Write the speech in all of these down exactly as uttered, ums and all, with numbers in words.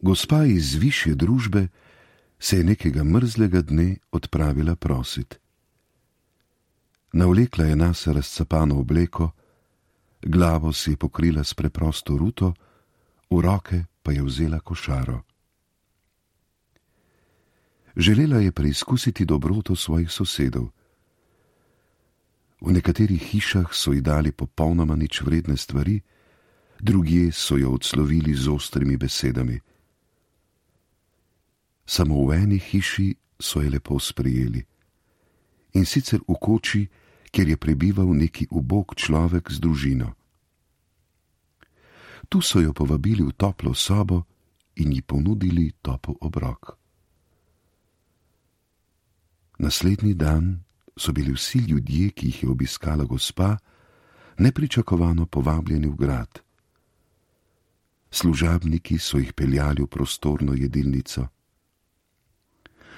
Gospa iz višje družbe se je nekega mrzlega dne odpravila prosit. Navlekla je nase razcapano obleko, glavo si je pokrila s preprosto ruto, v roke pa je vzela košaro. Želela je preizkusiti dobroto svojih sosedov. V nekaterih hišah so ji dali popolnoma nič vredne stvari, drugje so jo odslovili z ostrimi besedami. Samo v eni hiši so je lepo sprejeli, in sicer v koči, kjer je prebival neki ubog človek z družino. Tu so jo povabili v toplo sobo in ji ponudili topel obrok. Naslednji dan so bili vsi ljudje, ki jih je obiskala gospa, nepričakovano povabljeni v grad. Služabniki so jih peljali v prostorno jedilnico.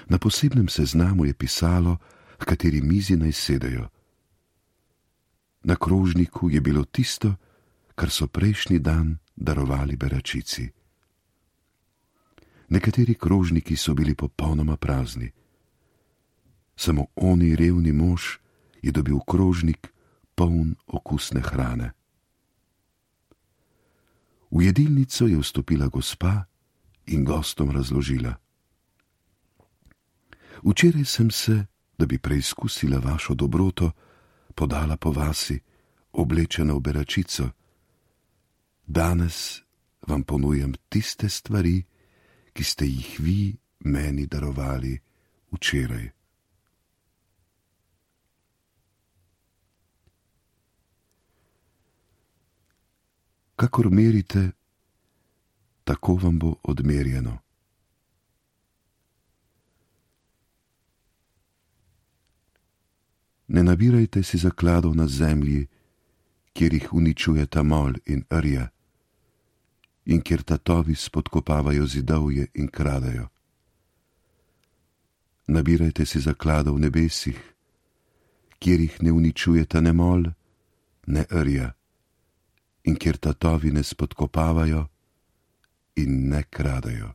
Na posebnem seznamu je pisalo, v kateri mizi naj sedejo. Na krožniku je bilo tisto, kar so prejšnji dan darovali beračici. Nekateri krožniki so bili popolnoma prazni. Samo oni revni mož je dobil krožnik poln okusne hrane. V jedilnico je vstopila gospa in gostom razložila: Včeraj sem se, da bi preizkusila vašo dobroto, podala po vasi, oblečena v beračico. Danes vam ponujam tiste stvari, ki ste jih vi meni darovali včeraj. Kakor merite, tako vam bo odmerjeno. Ne nabirajte si zakladov na zemlji, kjer jih uničujeta mol in rja, in kjer tatovi spodkopavajo zidovje in kradejo. Nabirajte si zakladov v nebesih, kjer jih ne uničujeta ne mol, ne rja, in kjer tatovi ne spodkopavajo in ne kradejo.